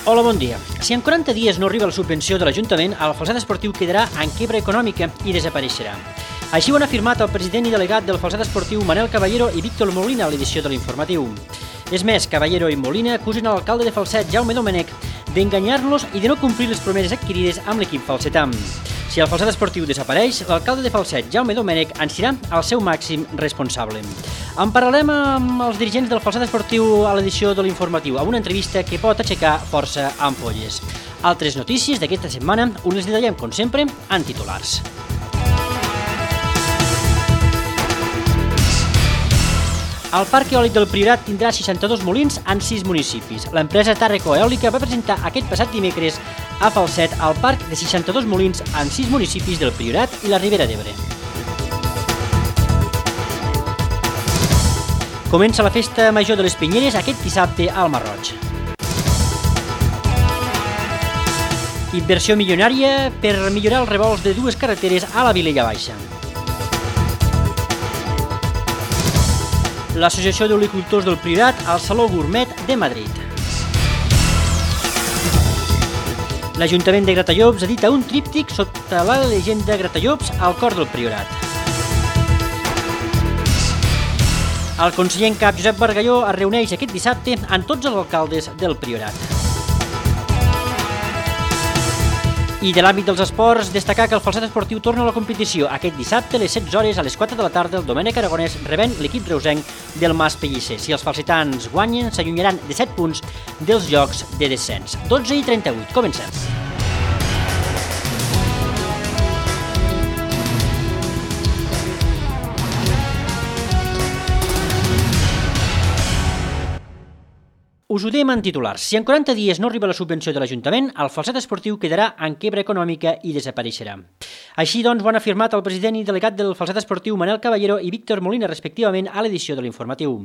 Hola, bon dia. Si en 40 dies no arriba la subvenció de l'Ajuntament, el Falset Esportiu quedarà en quiebra econòmica i desapareixerà. Així ho han afirmat el president i delegat del Falset Esportiu Manel Caballero i Víctor Molina a l'edició de l'Informatiu. És més, Caballero i Molina acusen l'alcalde de Falset, Jaume Domènech, d'enganyar-los i de no complir les promeses adquirides amb l'equip falsetà. Si el Falset Esportiu desapareix, l'alcalde de Falset, Jaume Domènech, en serà el seu màxim responsable. En parlarem amb els dirigents del Falset Esportiu a l'edició de l'Informatiu, amb una entrevista que pot aixecar força ampolles. Altres notícies d'aquesta setmana us les detallem, com sempre, en titulars. El Parc Eòlic del Priorat tindrà 62 molins en 6 municipis. L'empresa Tàrraco Eòlica va presentar aquest passat dimecres a Falset el parc de 62 molins en 6 municipis del Priorat i la Ribera d'Ebre. Comença la festa major de les Pinyeres aquest dissabte al Marroig. Inversió milionària per millorar els revolts de 2 carreteres a la Vilella Baixa. L'Associació d'Olicultors del Priorat al Saló Gourmet de Madrid. L'Ajuntament de Gratallops edita un tríptic sota la llegenda Gratallops al cor del Priorat. El conseller en cap Josep Bargalló es reuneix aquest dissabte amb tots els alcaldes del Priorat. I de l'àmbit dels esports, destacar que el Falset Esportiu torna a la competició aquest dissabte a les 16 hores a les 4 de la tarda el Domènec Aragonès rebent l'equip reusenc del Mas Pellicer. Si els falsetans guanyen, s'allunyaran de 7 punts dels llocs de descens. 12:38, comencem. Us ho dèiem en titulars. Si en 40 dies no arriba la subvenció de l'Ajuntament, el Falset Esportiu quedarà en quiebra econòmica i desapareixerà. Així doncs ho han afirmat el president i delegat del Falset Esportiu Manel Caballero i Víctor Molina, respectivament, a l'edició de l'Informatiu.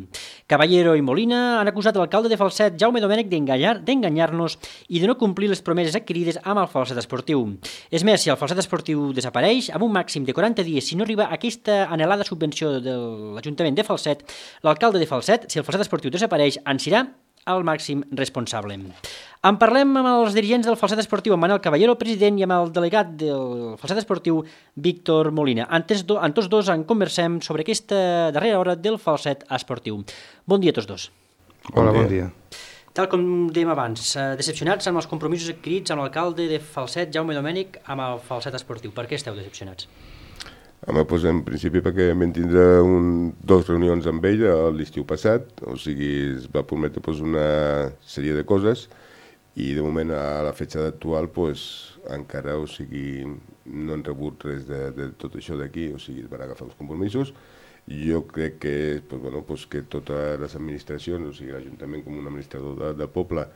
Caballero i Molina han acusat l'alcalde de Falset, Jaume Domènech, d'enganyar-nos i de no complir les promeses adquirides amb el Falset Esportiu. És més, si el Falset Esportiu desapareix, amb un màxim de 40 dies, si no arriba aquesta anhelada subvenció de l'Ajuntament de Falset, l'alcalde de Falset, si el Falset Esportiu desapareix, en serà el màxim responsable. En parlem amb els dirigents del Falset Esportiu, amb Manel Caballero, president, i amb el delegat del Falset Esportiu, Víctor Molina. Amb tots dos en conversem sobre aquesta darrera hora del Falset Esportiu. Bon dia a tots dos. Hola, bon dia. Tal com dèiem abans, decepcionats amb els compromisos adquirits amb l'alcalde de Falset, Jaume Domènech, amb el Falset Esportiu. Per què esteu decepcionats? Home, doncs en principi perquè vam tindre 2 reunions amb ell l'estiu passat, o sigui, es va prometre una sèrie de coses i de moment a la fetge actual encara, o sigui, no han rebut res de tot això d'aquí, o sigui, es van agafar els compromisos. Jo crec que, que totes les administracions, o sigui, l'Ajuntament com un administrador del poble,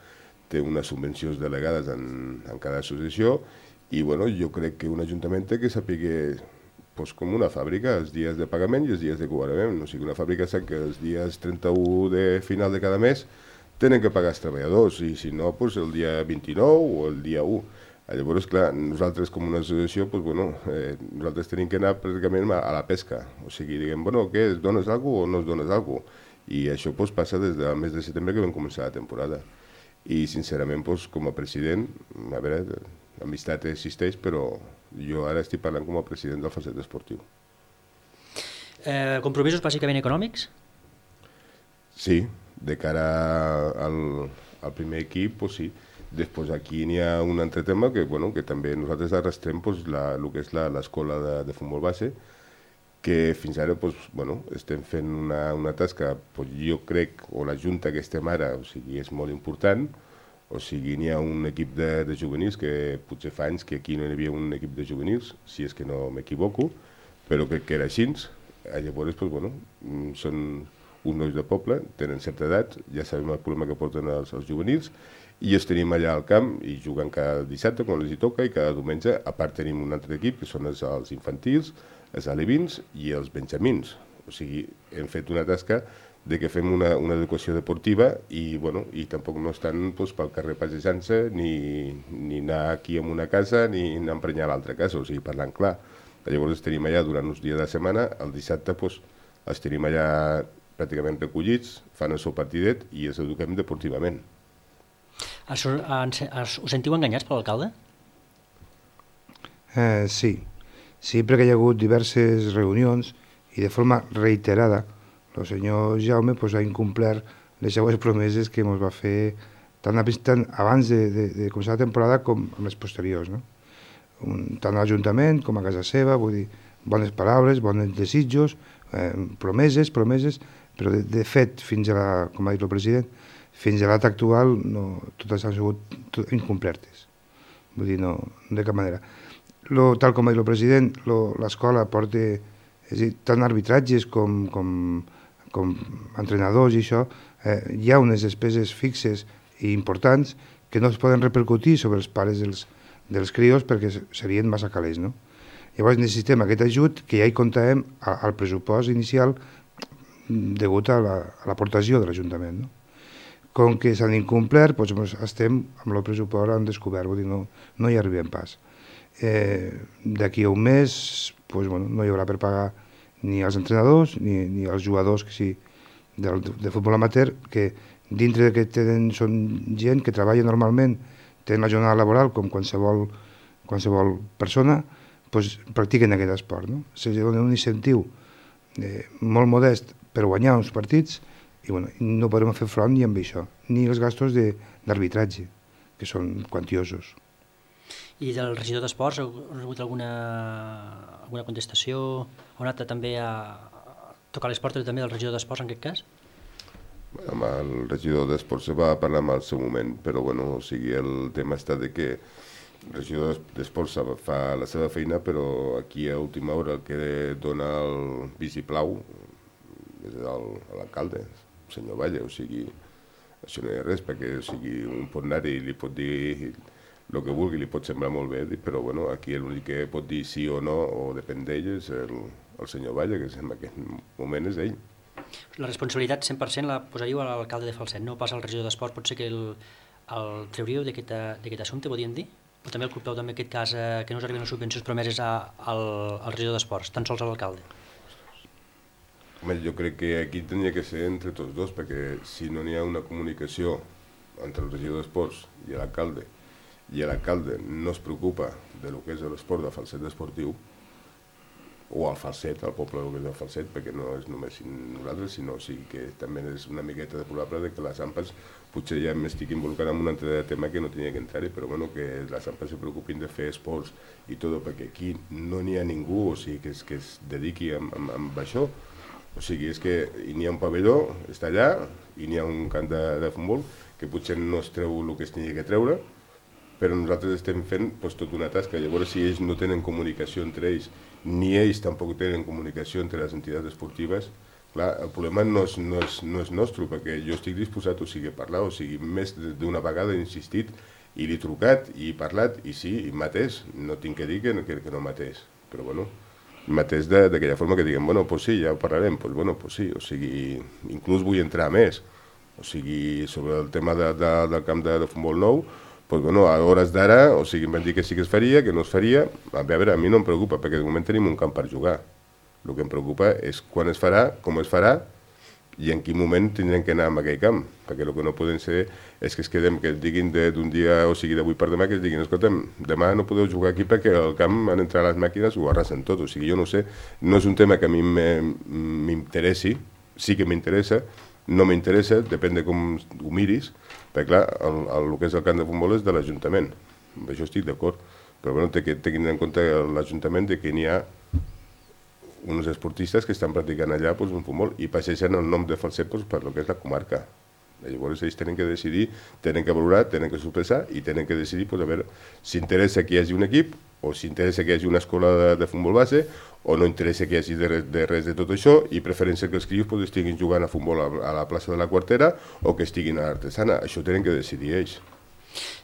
té unes subvencions delegades en cada associació i jo crec que un ajuntament té que saber com una fàbrica, els dies de pagament i els dies de cobrament. O sigui, una fàbrica sap que els dies 31 de final de cada mes tenen que pagar els treballadors i si no, el dia 29 o el dia 1. Llavors, clar, nosaltres com una associació, nosaltres tenim que anar pràcticament a la pesca. O sigui, diguem, què, es dones alguna cosa o no es dones alguna cosa? I això passa des del mes de setembre que vam començar la temporada. I sincerament, com a president, a veure, l'amistat existeix, però jo ara estic parlant com a president del Falset Esportiu. Compromisos bàsicament econòmics? Sí, de cara al primer equip, sí. Després aquí n'hi ha un altre tema que també nosaltres arrastrem el que és l'escola de futbol base, que fins ara estem fent una tasca, jo crec, o la junta que estem ara, o sigui, és molt important. O sigui, n'hi ha un equip de juvenils que potser fa anys que aquí no hi havia un equip de juvenils, si és que no m'equivoco, però crec que era així. Llavors, són uns nois de poble, tenen certa edat, ja sabem el problema que porten els juvenils, i els tenim allà al camp i juguen cada dissabte quan els hi toca i cada diumenge. A part tenim un altre equip que són els infantils, els alevins i els benjamins. O sigui, hem fet una tasca de que fem una educació deportiva i tampoc no estan pel carrer passejant-se ni anar aquí en una casa ni anar a emprenyar a l'altra casa, o sigui, parlant clar. Llavors els tenim allà durant uns dies de setmana, el dissabte els tenim allà pràcticament recollits, fan el seu partidet i els eduquem deportivament. Us sentiu enganyats per l'alcalde? Sí, perquè hi ha hagut diverses reunions i de forma reiterada el senyor Jaume ha incomplert les seues promeses que ens va fer tant abans de començar la temporada com amb les posteriors, no? Tant a l'Ajuntament com a casa seva, vull dir, bones paraules, bons desitjos, promeses, però de fet, com ha dit el president, fins a l'at actual totes han sigut incomplertes. Vull dir, no de cap manera. Tal com ha dit el president, l'escola porta, és a dir, tant arbitratges com entrenadors i això, hi ha unes despeses fixes i importants que no es poden repercutir sobre els pares dels crios perquè serien massa calés, no? Llavors necessitem aquest ajut que ja hi comptàvem al pressupost inicial degut a l'aportació de l'Ajuntament, no? Com que s'han incomplert, doncs estem amb el pressupost en descobert, vull dir, no hi arribem pas. D'aquí a un mes no hi haurà per pagar ni als entrenadors ni als jugadors de futbol amateur, que dintre que són gent que treballa normalment, tenen la jornada laboral com qualsevol persona, practiquen aquest esport. Se dona un incentiu molt modest per guanyar uns partits i no podrem fer front ni amb això, ni els gastos d'arbitratge, que són quantiosos. I del regidor d'Esports, heu rebut alguna contestació? Heu anat també a tocar les portes també del regidor d'Esports en aquest cas? Amb el regidor d'Esports se va parlar en el seu moment, però el tema està que el regidor d'Esports fa la seva feina, però aquí a última hora el que dona el vistiplau és l'alcalde, el senyor Valle, això no hi ha res, perquè un pot anar i li pot dir el que vulgui, li pot semblar molt bé, però aquí l'únic que pot dir sí o no, o depèn d'ell, és el senyor Valle, que en aquest moment és ell. La responsabilitat 100% la posaríeu a l'alcalde de Falset, no pas al regidor d'Esports. Pot ser que el treuríeu d'aquest assumpte, podríem dir? O també el culpeu en aquest cas que no us arriben les subvencions promeses al regidor d'Esports, tan sols a l'alcalde? Home, jo crec que aquí tenia que ser entre tots dos, perquè si no n'hi ha una comunicació entre el regidor d'Esports i l'alcalde no es preocupa del que és l'esport de Falset esportiu, o al Falset, al poble que és el Falset, perquè no és només nosaltres, sinó que també és una miqueta probable que les AMPAs potser ja m'estic involucrant en un altre tema que no tenia que entrar-hi, però que les AMPAs se preocupin de fer esports i tot, perquè aquí no n'hi ha ningú que es dediqui a això. És que n'hi ha un pavelló, està allà, i n'hi ha un camp de futbol que potser no es treu el que es tingui que treure, però nosaltres estem fent tota una tasca. Llavors, si ells no tenen comunicació entre ells, ni ells tampoc tenen comunicació entre les entitats esportives, clar, el problema no és nostre, perquè jo estic disposat a parlar, més d'una vegada he insistit i li he trucat i he parlat, i sí, i mateix, no tinc que dir que no mateix, però mateix d'aquella forma que diguem, sí, ja ho parlarem, sí, inclús vull entrar més, sobre el tema del camp de futbol nou, a hores d'ara, em van dir que sí que es faria, que no es faria. A veure, a mi no em preocupa, perquè de moment tenim un camp per jugar. El que em preocupa és quan es farà, com es farà, i en quin moment tindrem que anar a aquell camp, perquè el que no poden ser és que es quedem, que es diguin d'un dia, d'avui per demà, que es diguin, escolta'm, demà no podeu jugar aquí perquè al camp han entrat les màquines i ho arrasen tot. Jo no sé, no és un tema que a mi m'interessi, sí que m'interessa, no m'interessa, depèn de com ho miris, perquè clar, el que és el camp de futbol és de l'Ajuntament, amb això estic d'acord, però tinguin en compte l'Ajuntament que n'hi ha uns esportistes que estan practicant allà un futbol i passegen el nom de Falset per el que és la comarca. Llavors ells tenen que decidir, tenen que valorar, tenen que sopesar i tenen que decidir a veure si interessa que hi hagi un equip o si interessa que hi hagi una escola de futbol base o no interessa que hi hagi de res de tot això i preferència que els crios estiguin jugant a futbol a la plaça de la Quartera o que estiguin a l'Artesana. Això tenen que decidir ells.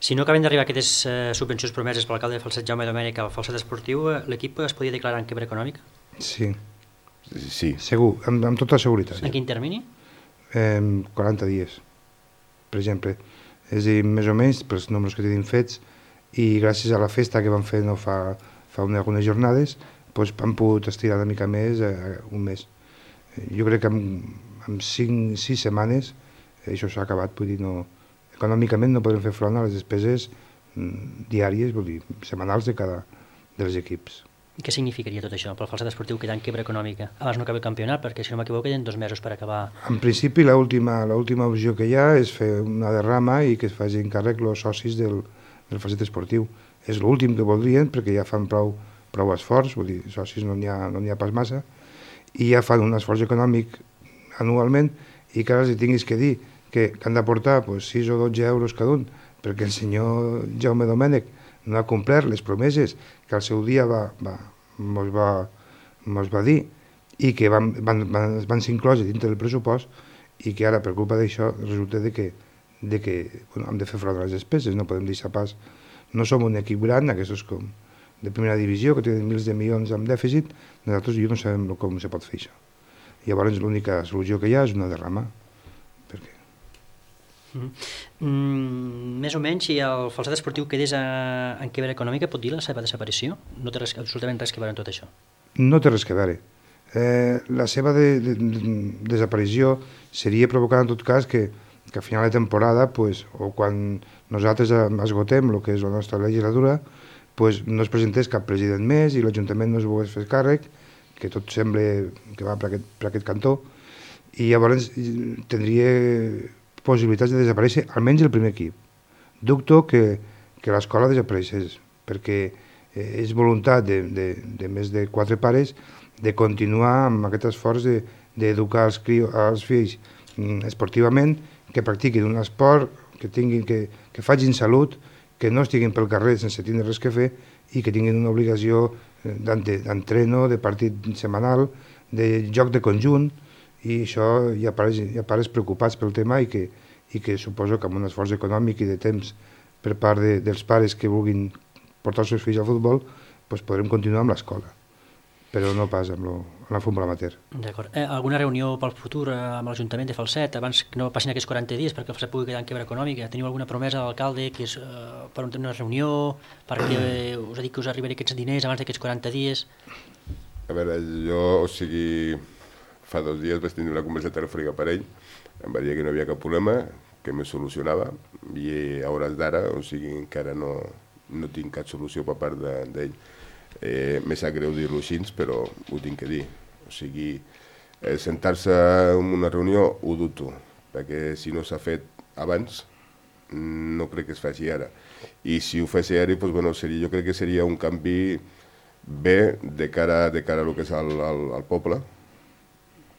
Si no acaben d'arribar aquestes subvencions promeses per l'alcalde de Falset, Jaume Domènech, al Falset esportiu, l'equip es podia declarar en quiebra econòmica? Sí. Sí. Segur, amb tota seguretat. En quin termini? 40 dies, per exemple. És a dir, més o menys, pels números que tenim fets, i gràcies a la festa que vam fer no fa algunes jornades, han pogut estirar una mica més, un mes. Jo crec que en 5-6 setmanes això s'ha acabat, vull dir, econòmicament no podem fer front a les despeses diàries, vull dir, setmanals dels equips. I què significaria tot això pel Falset Esportiu quedar en quebra econòmica? Abans no acaba el campionat, perquè si no m'equivoco queden 2 mesos per acabar. En principi, l'última opció que hi ha és fer una derrama i que es facin càrrec els socis del Falset Esportiu. És l'últim que voldrien, perquè ja fan prou esforç, vull dir, socis no n'hi ha pas massa, i ja fan un esforç econòmic anualment, i que ara els tinguis que dir que han d'aportar 6 o 12 euros cada un, perquè el senyor Jaume Domènech no ha complert les promeses que al seu dia mos va dir i que van ser incloses dintre del pressupost, i que ara per culpa d'això resulta que hem de fer front a les despeses, no podem deixar pas. No som un equip gran, aquests com de primera divisió, que tenen milers de milions amb dèficit, nosaltres no sabem com se pot fer això. Llavors l'única solució que hi ha és una derrama. Per què? Més o menys, si el Falset Esportiu quedés en quebra econòmica, pot dir la seva desaparició? No té absolutament res que veure amb tot això? No té res que veure. La seva desaparició seria provocada en tot cas que a final de temporada, o quan nosaltres esgotem el que és la nostra legislatura, no es presentés cap president més i l'Ajuntament no es volgués fer càrrec, que tot sembla que va per aquest cantó, i llavors tindria possibilitats de desaparèixer almenys el primer equip. Dubto que l'escola desapareixés, perquè és voluntat de més de 4 pares de continuar amb aquest esforç d'educar els fills esportivament, que practiquin un esport, que facin salut, que no estiguin pel carrer sense tindre res que fer i que tinguin una obligació d'entreno, de partit setmanal, de joc de conjunt, i això hi ha pares preocupats pel tema i que suposo que amb un esforç econòmic i de temps per part dels pares que vulguin portar els seus fills al futbol podrem continuar amb l'escola, però no pas amb la futbol amateur. D'acord. Alguna reunió pel futur amb l'Ajuntament de Falset abans que no passin aquests 40 dies perquè el Falset pugui quedar en quebra econòmica? Teniu alguna promesa de l'alcalde que és per una reunió perquè us ha dit que us arribaré aquests diners abans d'aquests 40 dies? A veure, fa 2 dies vaig tenir una conversa telefònica per ell, em va dir que no hi havia cap problema, que me solucionava, i a hores d'ara, encara no tinc cap solució per part d'ell. Me sap greu dir-lo així, però ho tinc que dir. Sentar-se en una reunió ho dubto, perquè si no s'ha fet abans, no crec que es faci ara. I si ho fes ara, jo crec que seria un canvi bé de cara a el que és el poble,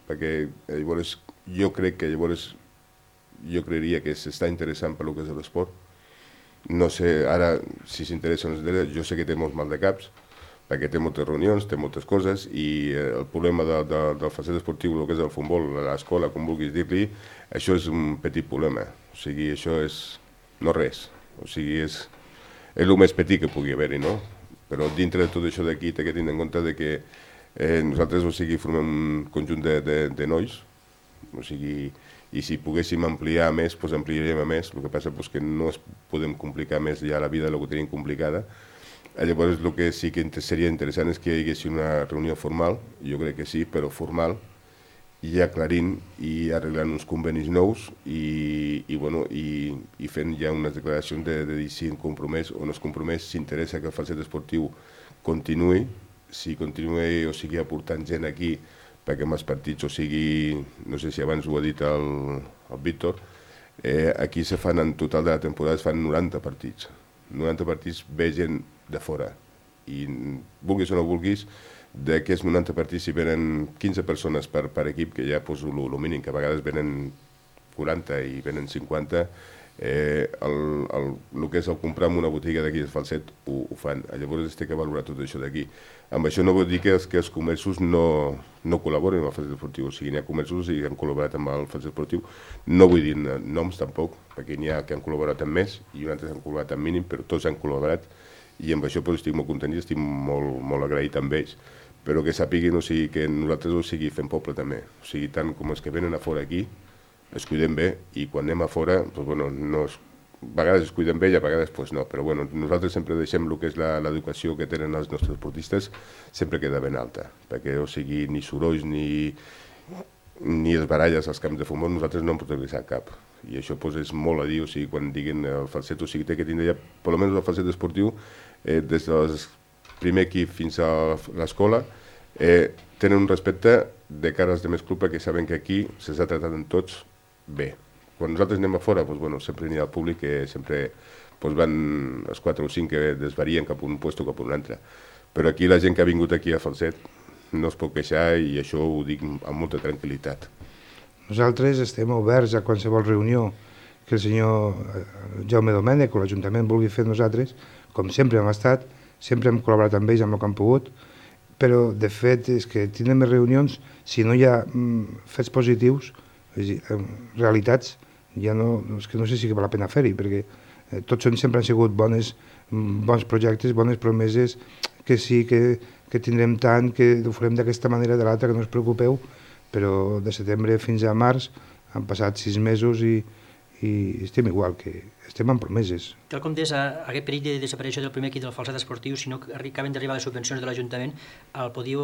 perquè llavors jo creuria que s'està interessant per el que és l'esport. No sé ara si s'interessa o no, jo sé que té molts mal de caps, perquè té moltes reunions, té moltes coses, i el problema del Falset Esportiu, el que és el futbol, l'escola, com vulguis dir-li, això és un petit problema. Això és no res. És el més petit que pugui haver-hi, no? Però dintre de tot això d'aquí t'he de tenir en compte que nosaltres formem un conjunt de nois, i si poguéssim ampliar més, ampliaríem més. El que passa és que no podem complicar més ja la vida del que tenim complicada. Llavors el que sí que seria interessant és que hi hagués una reunió formal, jo crec que sí, però formal, i aclarint i arreglant uns convenis nous i fent ja unes declaracions de dir si en compromès o no es compromès, si interessa que el Falset Esportiu continuï, si continuï aportant gent aquí, perquè en els partits, no sé si abans ho ha dit el Víctor, aquí se fan en total de la temporada, es fan 90 partits. 90 partits ve gent de fora, i vulguis o no vulguis, d'aquests 90 partits si venen 15 persones per equip, que ja poso el mínim, que a vegades venen 40 i venen 50, el que és el comprar en una botiga d'aquí de Falset ho fan. Llavors es té que valorar tot això d'aquí. Amb això no vol dir que els comerços no col·laboren amb el Falset Esportiu, n'hi ha comerços que han col·laborat amb el Falset Esportiu, no vull dir noms tampoc, perquè n'hi ha que han col·laborat amb més i altres han col·laborat amb mínim, però tots han col·laborat, i amb això estic molt content i estic molt agraït amb ells, però que sàpiguin que nosaltres fem poble també, tant com els que venen a fora aquí, es cuidem bé, i quan anem a fora, a vegades es cuiden bé i a vegades no, però nosaltres sempre deixem el que és l'educació que tenen els nostres esportistes, sempre queda ben alta, perquè ni sorolls ni es baralles als camps de futbol, nosaltres no en podem deixar cap. i això pues, és molt a dir, o sigui, quan diguin el falset, o sigui, té que tindre ja, per almenys el falset esportiu, des del primer equip fins a l'escola, tenen un respecte de cara als demés clubs perquè saben que aquí s'està tractant tots bé. Quan nosaltres anem a fora, doncs, bueno, sempre n'hi ha el públic que sempre doncs, van els 4 o 5 que desvarien cap a un lloc o cap a un altre. Però aquí la gent que ha vingut aquí a Falset no es pot queixar i això ho dic amb molta tranquil·litat. Nosaltres estem oberts a qualsevol reunió que el senyor Jaume Domènech o l'Ajuntament vulgui fer nosaltres, com sempre hem estat, sempre hem col·laborat amb ells amb el que han pogut, però de fet és que tindrem més reunions si no hi ha fets positius, és a dir, realitats, ja no, és que no sé si val la pena fer-hi, perquè tots sempre han sigut bons projectes, bones promeses, que sí, que tindrem tant, que ho farem d'aquesta manera o de l'altra, que no us preocupeu, però de setembre fins a març han passat 6 mesos i estem igual, que estem en promeses. Tal com deies, aquest perill de desaparició del primer equip del Falset esportiu, si no acaben d'arribar les subvencions de l'Ajuntament, el podíeu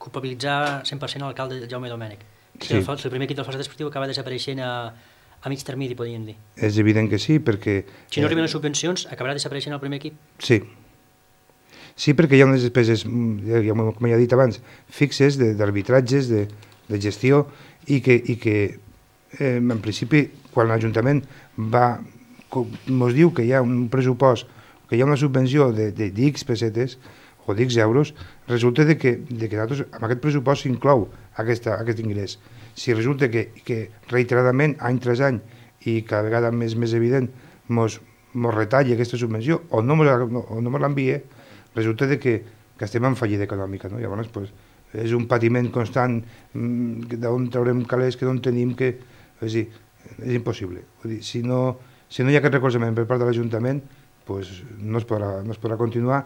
culpabilitzar 100% l'alcalde Jaume Domènech. Sí. El primer equip del Falset esportiu acaba desapareixent a mig termini, podríem dir. És evident que sí, perquè... Si no arriben les subvencions, acabarà desapareixent el primer equip? Sí. Sí, perquè hi ha unes despeses, com ja he dit abans, fixes d'arbitratges, de gestió, i que en principi, quan l'Ajuntament ens diu que hi ha un pressupost, que hi ha una subvenció d'X pessetes o d'X euros, resulta que nosaltres, amb aquest pressupost s'inclou aquest ingrés. Si resulta que reiteradament, any tras any, i cada vegada més evident, ens retalla aquesta subvenció o no ens l'envia, resulta que estem en fallida econòmica. No? Llavors, és un patiment constant d'on traurem calés que no en tenim, que és impossible. Vull dir, si no hi ha aquest recolzament per part de l'Ajuntament, no es podrà continuar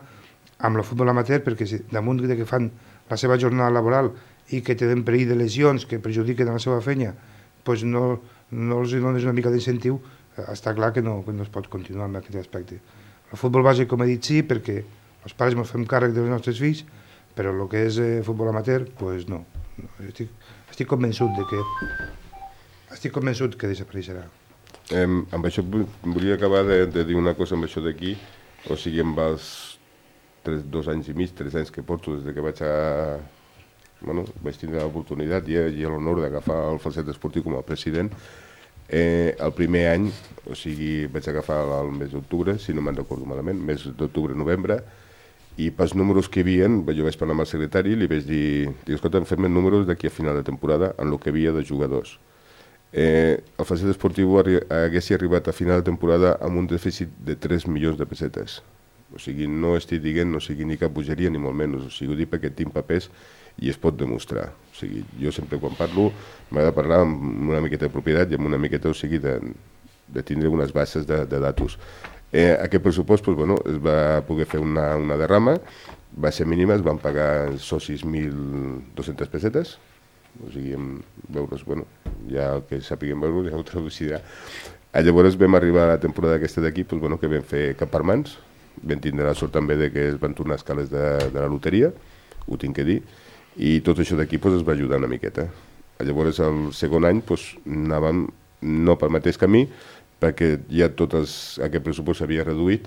amb el futbol amateur, perquè damunt que fan la seva jornada laboral i que tenen perill de lesions que perjudiquen la seva feina, no els dones una mica d'incentiu, està clar que no es pot continuar amb aquest aspecte. El futbol bàsic, com he dit, sí, perquè els pares ens fem càrrec dels nostres fills, però el que és futbol amateur, no. Estic convençut que desapareixerà. Amb això volia acabar de dir una cosa amb això d'aquí, o sigui, amb els 2 anys i mig, 3 anys que porto des que vaig tindre l'oportunitat i l'honor d'agafar el Falset esportiu com a president. El primer any, o sigui, vaig agafar el mes d'octubre, si no me'n recordo malament, mes d'octubre-novembre, i pels números que hi havia, jo vaig parlar amb el secretari i li vaig dir, escolta, fem números d'aquí a final de temporada en el que havia de jugadors. El Falset esportiu hagués arribat a final de temporada amb un dèficit de 3 milions de pessetes. O sigui, no estic dient, no sigui ni cap bogeria ni molt menys, o sigui, ho dic perquè tinc papers i es pot demostrar. O sigui, jo sempre quan parlo m'ha de parlar amb una miqueta de propietat i amb una miqueta, o sigui, de tindre unes bases de datos. Aquest pressupost es va poder fer una derrama, va ser mínima, es van pagar socis 1.200 pessetes, o sigui, en euros, ja el que sàpiguen euros ja ho traducirà. Llavors vam arribar a la temporada aquesta d'aquí, que vam fer cap per mans, vam tindre la sort també que es van tornar escales de la loteria, ho tinc que dir, i tot això d'aquí es va ajudar una miqueta. Llavors el segon any anàvem no pel mateix camí, perquè ja tot aquest pressupost s'havia reduït,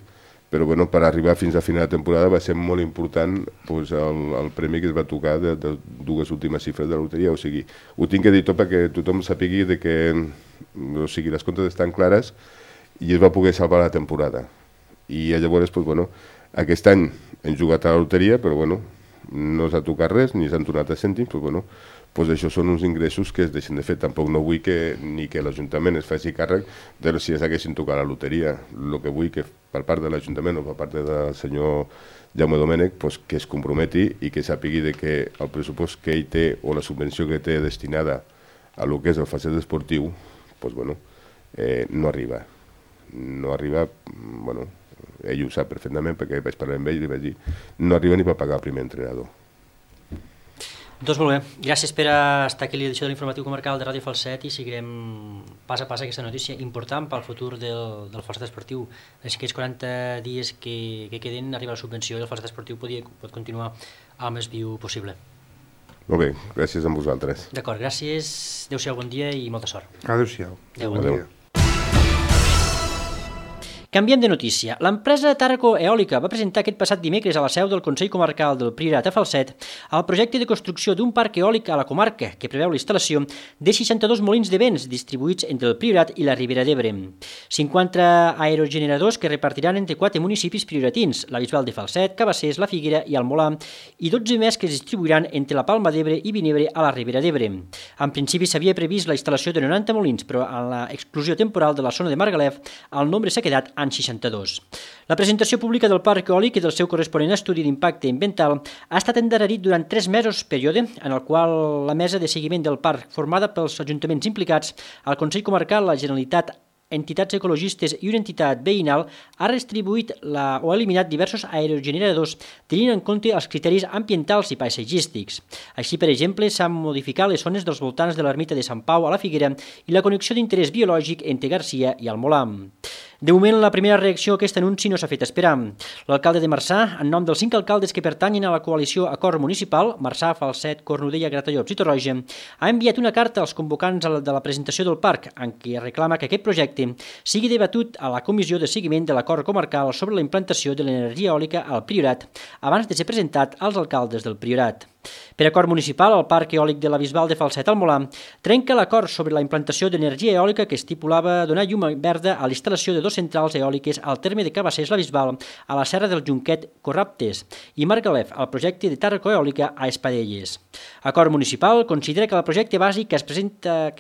però per arribar fins a final de temporada va ser molt important el premi que es va tocar de 2 últimes xifres de la loteria. O sigui, ho tinc que dir tot perquè tothom sàpigui que les comptes estan clares i es va poder salvar la temporada. I llavors, aquest any hem jugat a la loteria, però no s'ha tocat res, ni s'han tornat a cèntims, això són uns ingressos que es deixen de fer. Tampoc no vull ni que l'Ajuntament es faci càrrec de si es haguessin tocat la loteria. El que vull que per part de l'Ajuntament o per part del senyor Jaume Domènech que es comprometi i que sàpigui que el pressupost que ell té o la subvenció que té destinada a el que és el Falset esportiu no arriba. No arriba, ell ho sap perfectament perquè vaig parlar amb ell i li vaig dir no arriba ni per pagar el primer entrenador. Doncs molt bé, gràcies per estar aquí a l'edició de l'Informatiu Comarcal de Ràdio Falset i seguirem pas a pas aquesta notícia important pel futur del Falset esportiu. En aquests 40 dies que queden arriba la subvenció i el Falset esportiu pot continuar el més viu possible. Molt bé, gràcies a vosaltres. D'acord, gràcies, adéu-siau, bon dia i molta sort. Adéu-siau. Adéu. Bon dia. Canviem de notícia. L'empresa Tàrraco Eòlica va presentar aquest passat dimecres a la seu del Consell Comarcal del Priorat a Falset el projecte de construcció d'un parc eòlic a la comarca que preveu la instal·lació de 62 molins de vents distribuïts entre el Priorat i la Ribera d'Ebre. 50 aerogeneradors que repartiran entre 4 municipis prioratins, la Bisbal de Falset, Cabassers, la Figuera i Almolà, i 12 més que es distribuiran entre la Palma d'Ebre i Vinebre a la Ribera d'Ebre. En principi s'havia previst la instal·lació de 90 molins, però en l'exclusió temporal de la zona de Margalef el nombre s'ha quedat en 62. La presentació pública del parc eòlic i del seu corresponent estudi d'impacte ambiental ha estat endarrerit durant 3 mesos, període en el qual la mesa de seguiment del parc, formada pels ajuntaments implicats, el Consell Comarcal, la Generalitat, entitats ecologistes i una entitat veïnal, ha redistribuït o ha eliminat diversos aerogeneradors tenint en compte els criteris ambientals i paisatgístics. Així, per exemple, s'han modificat les zones dels voltants de l'ermita de Sant Pau a la Figuera i la connexió d'interès biològic entre Garcia i Almolà. De moment, la primera reacció a aquest anunci no s'ha fet esperar. L'alcalde de Marçà, en nom dels 5 alcaldes que pertanyen a la coalició Acord Municipal, Marçà, Falset, Cornudella, Gratallops i Torroja, ha enviat una carta als convocants de la presentació del parc en què reclama que aquest projecte sigui debatut a la comissió de seguiment de l'acord comarcal sobre la implantació de l'energia eòlica al Priorat abans de ser presentat als alcaldes del Priorat. Per acord municipal, el Parc Eòlic de la Bisbal de Falset-Almolà trenca l'acord sobre la implantació d'energia eòlica que estipulava donar llum verda a l'instal·lació de 2 centrals eòliques al terme de Cabassers-la Bisbal, a la serra del Junquet-Corraptes, i Margalef, al projecte de Tàrraco Eòlica a Espadelles. Acord municipal considera que el projecte bàsic que es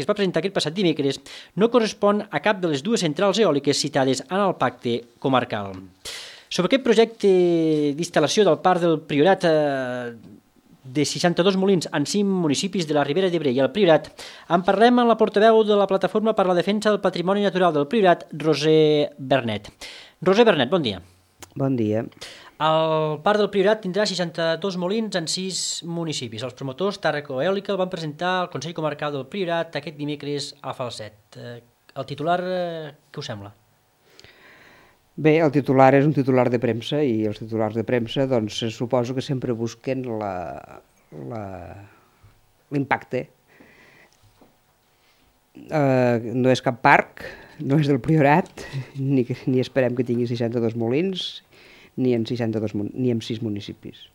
va presentar aquest passat dimecres no correspon a cap de les 2 centrals eòliques citades en el pacte comarcal. Sobre aquest projecte d'instal·lació del Parc del Priorat de 62 molins en 5 municipis de la Ribera d'Ebre i el Priorat, en parlem amb la portaveu de la Plataforma per la Defensa del Patrimoni Natural del Priorat, Roser Bernet. Roser Bernet, bon dia. Bon dia. El Parc del Priorat tindrà 62 molins en 6 municipis. Els promotors Tàrraco Eòlica el van presentar al Consell Comarcal del Priorat aquest dimecres a Falset. El titular, què us sembla? Bé, el titular és un titular de premsa i els titulars de premsa doncs suposo que sempre busquen l'impacte. No és cap parc, no és del Priorat, ni esperem que tingui 62 molins, ni en 6 municipis.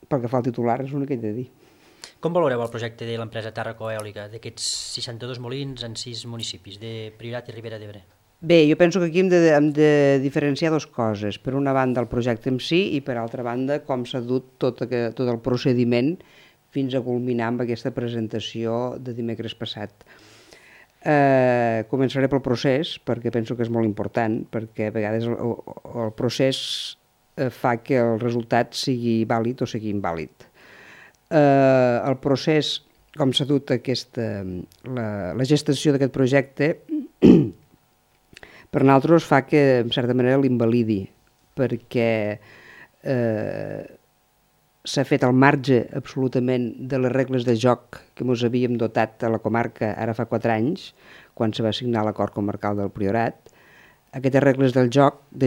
Pel que fa al titular és l'únic que he de dir. Com valoreu el projecte de l'empresa Tàrraco Eòlica d'aquests 62 molins en 6 municipis de Priorat i Ribera d'Ebre? Bé, jo penso que aquí hem de diferenciar 2 coses. Per una banda, el projecte en si i per altra banda, com s'ha dut tot el procediment fins a culminar amb aquesta presentació de dimecres passat. Començaré pel procés, perquè penso que és molt important, perquè a vegades el procés fa que el resultat sigui vàlid o sigui invàlid. El procés, com s'ha dut la gestació d'aquest projecte, per nosaltres fa que, en certa manera, l'invalidi, perquè s'ha fet al marge absolutament de les regles de joc que ens havíem dotat a la comarca ara fa 4 anys, quan se va signar l'acord comarcal del Priorat. Aquestes regles de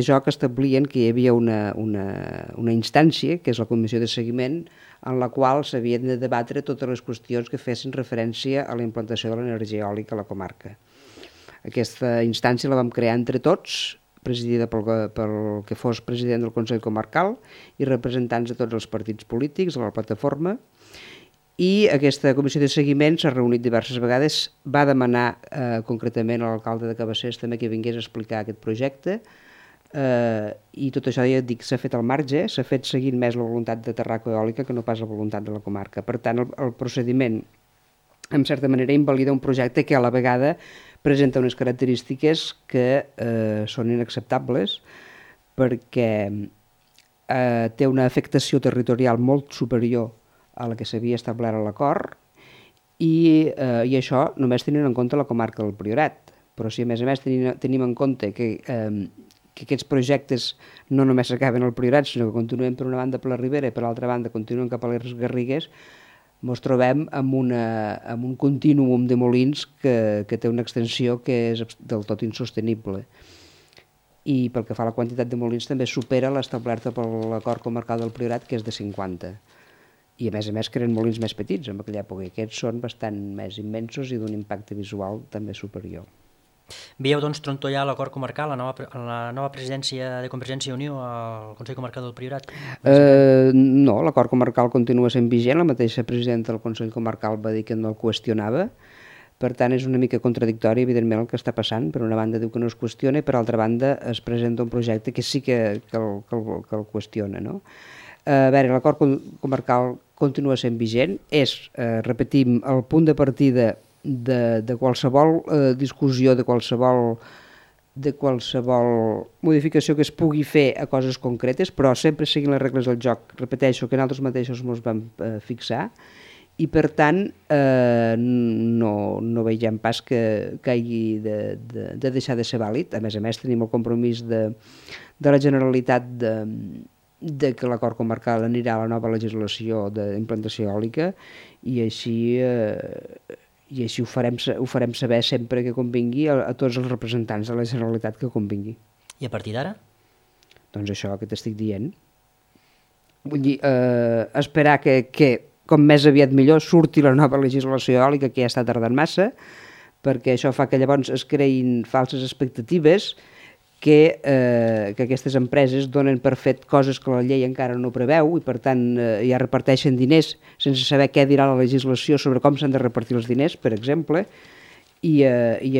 joc establien que hi havia una instància, que és la comissió de seguiment, en la qual s'havien de debatre totes les qüestions que fessin referència a la implantació de l'energia eòlica a la comarca. Aquesta instància la vam crear entre tots, presidida pel que fos president del Consell Comarcal i representants de tots els partits polítics, de la plataforma, i aquesta comissió de seguiment s'ha reunit diverses vegades, va demanar concretament a l'alcalde de Cabassers també que vingués a explicar aquest projecte, i tot això, ja dic, s'ha fet al marge, s'ha fet seguint més la voluntat de Tàrraco Eòlica que no pas la voluntat de la comarca. Per tant, el procediment, en certa manera, invalida un projecte que a la vegada presenta unes característiques que són inacceptables perquè té una afectació territorial molt superior a la que s'havia establert a l'acord i això només tenint en compte la comarca del Priorat. Però si a més tenim en compte que aquests projectes no només s'acaben al Priorat, sinó que continuen per una banda per la Ribera i per l'altra banda continuen cap a les Garrigues, ens trobem amb un contínuum de molins que té una extensió que és del tot insostenible. i pel que fa a la quantitat de molins també supera l'establerta per l'acord comarcal del Priorat, que és de 50. I a més creen molins més petits en aquella època, i aquests són bastant més immensos i d'un impacte visual també superior. Veieu, doncs, trontollar l'acord comarcal, la nova presidència de Convergència i Unió al Consell Comarcal del Priorat? No, l'acord comarcal continua sent vigent, la mateixa presidenta del Consell Comarcal va dir que no el qüestionava. Per tant, és una mica contradictori, evidentment, el que està passant. Per una banda diu que no es qüestiona i per altra banda es presenta un projecte que sí que el qüestiona. No? A veure, l'acord comarcal continua sent vigent, és, repetim, el punt de partida de qualsevol discussió, de qualsevol modificació que es pugui fer a coses concretes, però sempre seguint les regles del joc. Repeteixo que nosaltres mateixos ens vam fixar, i per tant no veiem pas que hagi de deixar de ser vàlid. A més tenim el compromís de la Generalitat de que l'acord comarcal anirà a la nova legislació d'implantació eòlica i així ho farem saber sempre que convingui a tots els representants de la Generalitat que convingui. I a partir d'ara? Doncs això que t'estic dient. Vull dir, esperar que com més aviat millor surti la nova legislació eòlica, que ja està tardant massa, perquè això fa que llavors es creïn falses expectatives que aquestes empreses donen per fet coses que la llei encara no preveu i per tant ja reparteixen diners sense saber què dirà la legislació sobre com s'han de repartir els diners, per exemple, i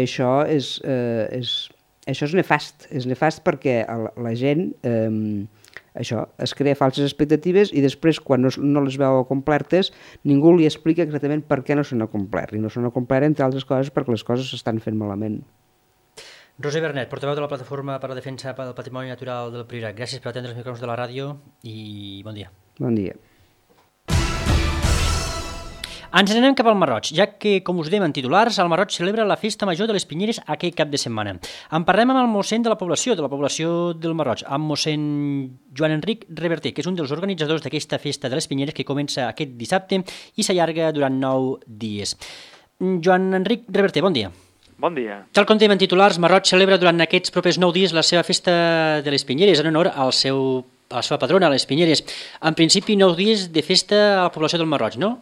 això és nefast. És nefast perquè la gent es crea falses expectatives i després, quan no les veu complertes, ningú li explica exactament per què no s'han complert. I no s'han complert, entre altres coses, perquè les coses s'estan fent malament. Roser Bernet, portaveu de la Plataforma per la Defensa del Patrimoni Natural del Priorat. Gràcies per atendre els micròfons de la ràdio i bon dia. Bon dia. Ens n'anem cap al Marroig, ja que, com us dèiem en titulars, el Marroig celebra la Festa Major de les Pinyeres aquest cap de setmana. En parlem amb el mossèn de la població del Marroig, amb mossèn Joan Enric Reverter, que és un dels organitzadors d'aquesta Festa de les Pinyeres que comença aquest dissabte i s'allarga durant 9 dies. Joan Enric Reverter, bon dia. Bon dia. Tal com dèiem en titulars, Marroig celebra durant aquests propers 9 dies la seva Festa de les Pinyeres en honor a la seva patrona, les Pinyeres. En principi, 9 dies de festa a la població del Marroig, no?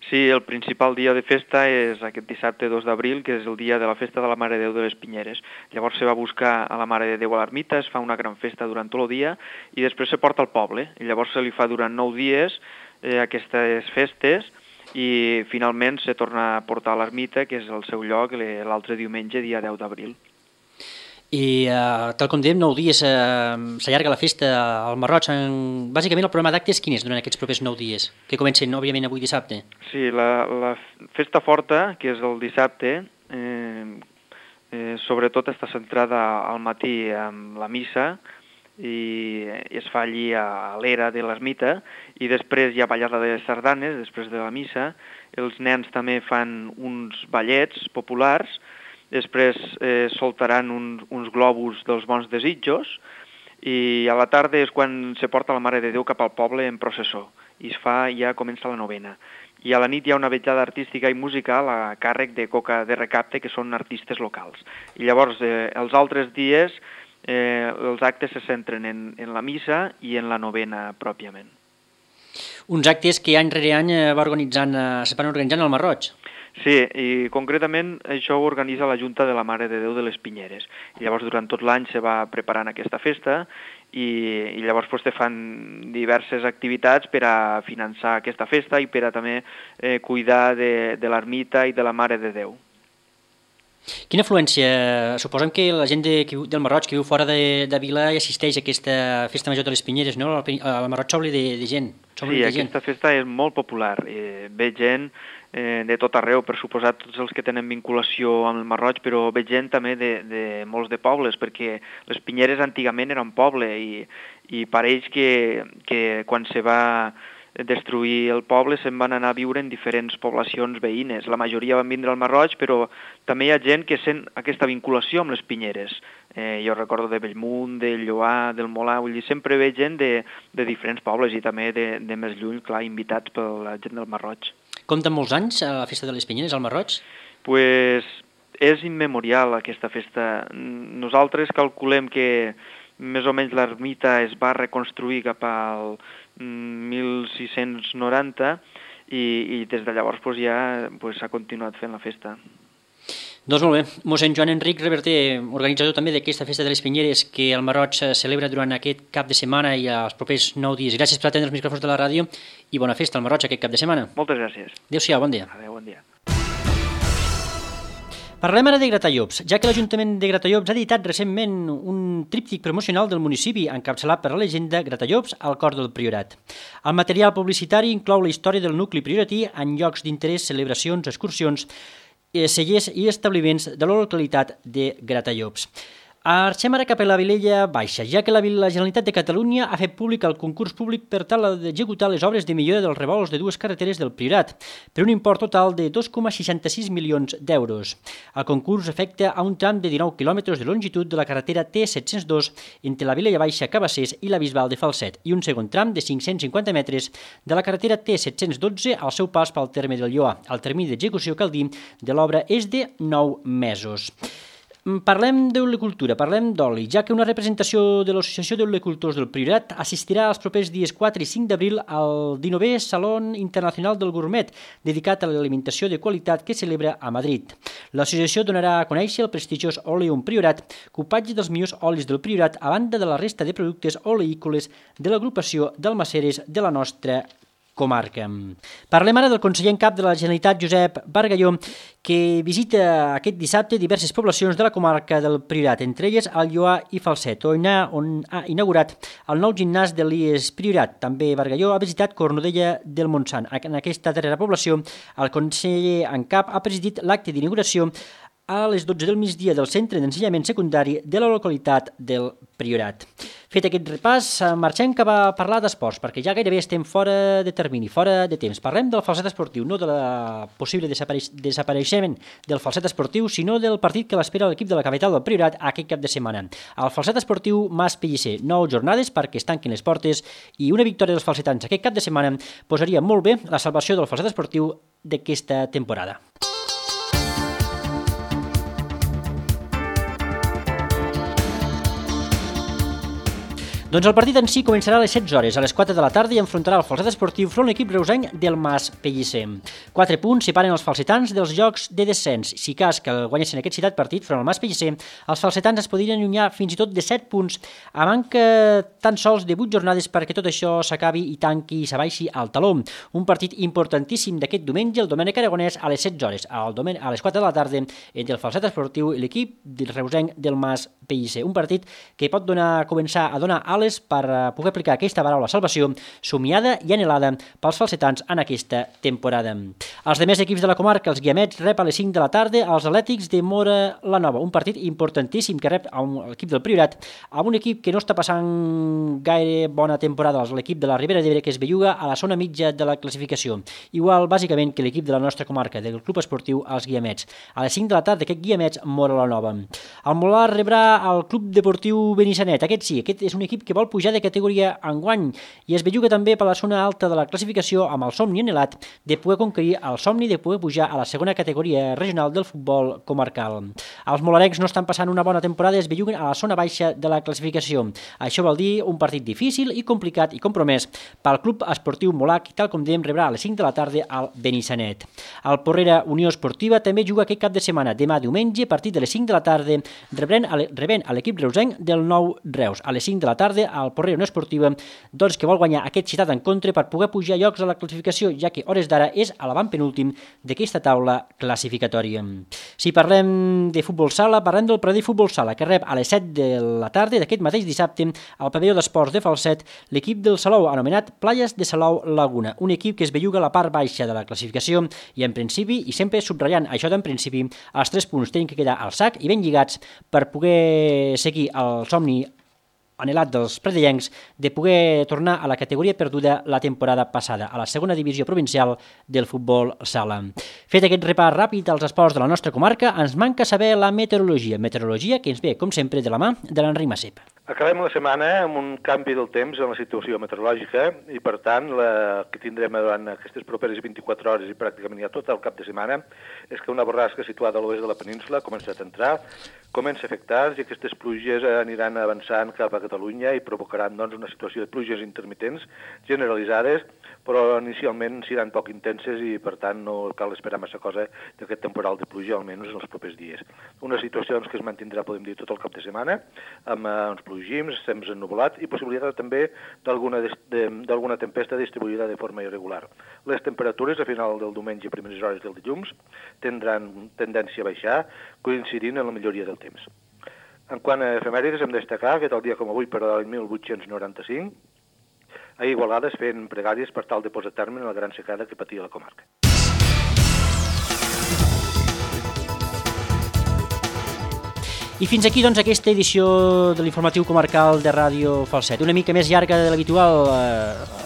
Sí, el principal dia de festa és aquest dissabte 2 d'abril, que és el dia de la festa de la Mare de Déu de les Pinyeres. Llavors se va buscar a la Mare de Déu a l'ermita, es fa una gran festa durant tot el dia i després se porta al poble. I llavors se li fa durant 9 dies aquestes festes i finalment se torna a portar a l'ermita, que és el seu lloc, l'altre diumenge, dia 10 d'abril. I tal com dèiem, 9 dies s'allarga la festa al Marroig. Bàsicament el programa d'actes quin és durant aquests propers 9 dies, que comencen òbviament avui dissabte? Sí, la festa forta, que és el dissabte, sobretot està centrada al matí amb la missa i es fa allí a l'era de l'ermita i després hi ha ballada de sardanes després de la missa. Els nens també fan uns ballets populars. Després soltaran uns globus dels bons desitjos i a la tarda és quan se porta la Mare de Déu cap al poble en processó i ja comença la novena. I a la nit hi ha una vetllada artística i musical a càrrec de Coca de Recapte, que són artistes locals. I llavors els altres dies els actes se centren en la missa i en la novena pròpiament. Uns actes que any rere any se van organitzant al Marroig. Sí, i concretament això ho organitza la Junta de la Mare de Déu de les Pinyeres. I llavors durant tot l'any se va preparant aquesta festa i llavors te fan diverses activitats per a finançar aquesta festa i per a també cuidar de l'ermita i de la Mare de Déu. Quina afluència? Suposem que la gent del Marroig que viu fora de Vila hi assisteix a aquesta festa major de les Pinyeres, no? El Marroig s'obre de gent. Sí, aquesta festa és molt popular. Ve gent de tot arreu, per suposat tots els que tenen vinculació amb el Marroig, però ve gent també de molts de pobles, perquè les Pinyeres antigament eren poble i pareix que quan se va destruir el poble se'n van anar a viure en diferents poblacions veïnes. La majoria van vindre al Marroig, però també hi ha gent que sent aquesta vinculació amb les Pinyeres. Jo recordo de Bellmunt, de Lloar, del Molar, vull dir, sempre ve gent de diferents pobles i també de més lluny, clar, invitats per la gent del Marroig. Compten molts anys a la Festa de les Pinyeres al Marroig? Pues és immemorial aquesta festa. Nosaltres calculem que més o menys l'ermita es va reconstruir cap al 1690 i des de llavors ja s'ha continuat fent la festa. Doncs molt bé. Mossèn Joan Enric Reverter, organitzador també d'aquesta festa de les Pinyeres que el Marroig celebra durant aquest cap de setmana i els propers 9 dies. Gràcies per atendre els micròfons de la ràdio i bona festa al Marroig aquest cap de setmana. Moltes gràcies. Adéu-siau, bon dia. Adéu, bon dia. Parlem ara de Gratallops, ja que l'Ajuntament de Gratallops ha editat recentment un tríptic promocional del municipi encapçalat per la llegenda Gratallops al cor del Priorat. El material publicitari inclou la història del nucli prioratí en llocs d'interès, celebracions, excursions, cellers i establiments de la localitat de Gratallops. Marxem ara cap a la Vilella Baixa, ja que la Generalitat de Catalunya ha fet públic el concurs públic per tal d'executar les obres de millora dels revolts de dues carreteres del Priorat, per un import total de 2,66 milions d'euros. El concurs afecta a un tram de 19 quilòmetres de longitud de la carretera T702 entre la Vilella Baixa Cabassers i la Bisbal de Falset i un segon tram de 550 metres de la carretera T712 al seu pas pel terme del Lloar. El termini d'execució, cal dir, de l'obra és de 9 mesos. Parlem d'olicultura, parlem d'oli, ja que una representació de l'Associació d'Olicultors del Priorat assistirà els propers dies 4 i 5 d'abril al 19è Saló Internacional del Gourmet, dedicat a l'alimentació de qualitat que celebra a Madrid. L'associació donarà a conèixer el prestigiós Oleum Priorat, cupatge dels millors olis del Priorat a banda de la resta de productes oleícoles de l'agrupació d'almaceres de la nostra comarca. Parlem ara del conseller en cap de la Generalitat, Josep Bargalló, que visita aquest dissabte diverses poblacions de la comarca del Priorat, entre elles el Lloar i Falset, on ha inaugurat el nou gimnàs de l'IES Priorat. També Bargalló ha visitat Cornudella del Montsant. En aquesta darrera població, el conseller en cap ha presidit l'acte d'inauguració a les 12 del migdia del centre d'ensenyament secundari de la localitat del Priorat. Fet aquest repàs, marxem cap a parlar d'esports, perquè ja gairebé estem fora de termini, fora de temps. Parlem del falset esportiu, no de la possible desapareixement del falset esportiu, sinó del partit que l'espera l'equip de la capital del Priorat aquest cap de setmana. El falset esportiu Mas Pellicer, 9 jornades perquè es tanquin les portes i una victòria dels falsetans aquest cap de setmana posaria molt bé la salvació del falset esportiu d'aquesta temporada. Doncs el partit en si començarà a les 16 hores, a les 4 de la tarda, i enfrontarà el falset esportiu front l'equip reusenc del Mas Pellicer. 4 punts separen els falsetans dels jocs de descens. Si cas que guanyessin aquest citat partit front al Mas Pellicer, els falsetans es podrien allunyar fins i tot de 7 punts, a manca tan sols de 8 jornades perquè tot això s'acabi i tanqui i s'abaixi al taló. Un partit importantíssim d'aquest diumenge, el Domènec Aragonès, a les 16 hores, a les 4 de la tarda, entre el falset esportiu i l'equip del reusenc del Mas Pellicer. Un partit que pot començar a donar per poder aplicar aquesta paraula salvació somiada i anhelada pels falsetans en aquesta temporada. Els demés equips de la comarca, els Guiamets, rep a les 5 de la tarda els Atlètics de Móra la Nova, un partit importantíssim que rep l'equip del Priorat, amb un equip que no està passant gaire bona temporada, l'equip de la Ribera d'Ebre, que es belluga a la zona mitja de la classificació, igual bàsicament que l'equip de la nostra comarca, del club esportiu els Guiamets. A les 5 de la tarda aquest Guiamets Móra la Nova. El Molar rebrà el Club Deportiu Benissanet, aquest és un equip que vol pujar de categoria enguany i es belluga també per la zona alta de la classificació amb el somni anhelat de poder conquerir el somni de poder pujar a la segona categoria regional del futbol comarcal. Els molarencs no estan passant una bona temporada i es belluguen a la zona baixa de la classificació. Això vol dir un partit difícil i complicat i compromès pel club esportiu molac, tal com dèiem, rebrà a les 5 de la tarda al Benissanet. El Porrera Unió Esportiva també juga aquest cap de setmana, demà diumenge, a partir de les 5 de la tarda, rebent a l'equip reusenc del Nou Reus. A les 5 de la tarda, el Porrera Unió Esportiva, doncs, que vol guanyar aquest citat en contra per poder pujar llocs a la classificació, ja que hores d'ara és a l'avantpenúltim d'aquesta taula classificatòria. Si parlem de futbol sala, parlem del Pradell Futbol Sala, que rep a les 7 de la tarda d'aquest mateix dissabte al pavelló d'esports de Falset l'equip del Salou, anomenat Playas de Salou Laguna, un equip que es belluga a la part baixa de la classificació i en principi, i sempre subratllant això d'en principi, els 3 punts tenen que quedar al sac i ben lligats per poder seguir el somni anhelat dels predellencs de poder tornar a la categoria perduda la temporada passada, a la segona divisió provincial del futbol sala. Fet aquest repàs ràpid als esports de la nostra comarca, ens manca saber la meteorologia que ens ve, com sempre, de la mà de l'Enric Massep. Acabem la setmana amb un canvi del temps en la situació meteorològica i, per tant, el que tindrem durant aquestes properes 24 hores i pràcticament ja tot el cap de setmana és que una borrasca situada a l'oest de la península ha començat a entrar, comença a afectar i aquestes pluges aniran avançant cap a Catalunya i provocaran doncs, una situació de pluges intermitents generalitzades, però inicialment seran poc intenses i, per tant, no cal esperar massa cosa d'aquest temporal de pluja, almenys en els propers dies. Una situació doncs, que es mantindrà, podem dir, tot el cap de setmana, amb uns plogims, temps ennuvolat i possibilitat també d'alguna tempesta distribuïda de forma irregular. Les temperatures a final del diumenge i primeres hores del dilluns tindran tendència a baixar, coincidint en la milloria del temps. En quant a efemèrides, hem de destacar que tal dia com avui, per l'any 1895, a Igualada es feien pregàries per tal de posar terme a la gran secada que patia la comarca. I fins aquí, doncs, aquesta edició de l'informatiu comarcal de Ràdio Falset. Una mica més llarga de l'habitual,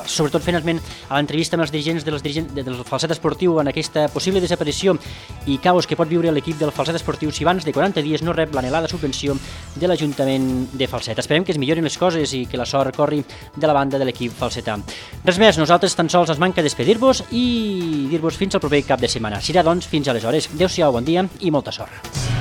sobretot fent esment a l'entrevista amb els dirigents del Falset Esportiu en aquesta possible desaparició i caos que pot viure l'equip del Falset Esportiu si abans de 40 dies no rep l'anhelada subvenció de l'Ajuntament de Falset. Esperem que es millorin les coses i que la sort corri de la banda de l'equip falsetà. Res més, nosaltres tan sols ens manca despedir-vos i dir-vos fins al proper cap de setmana. Serà, doncs, fins aleshores. Adéu-siau, bon dia i molta sort.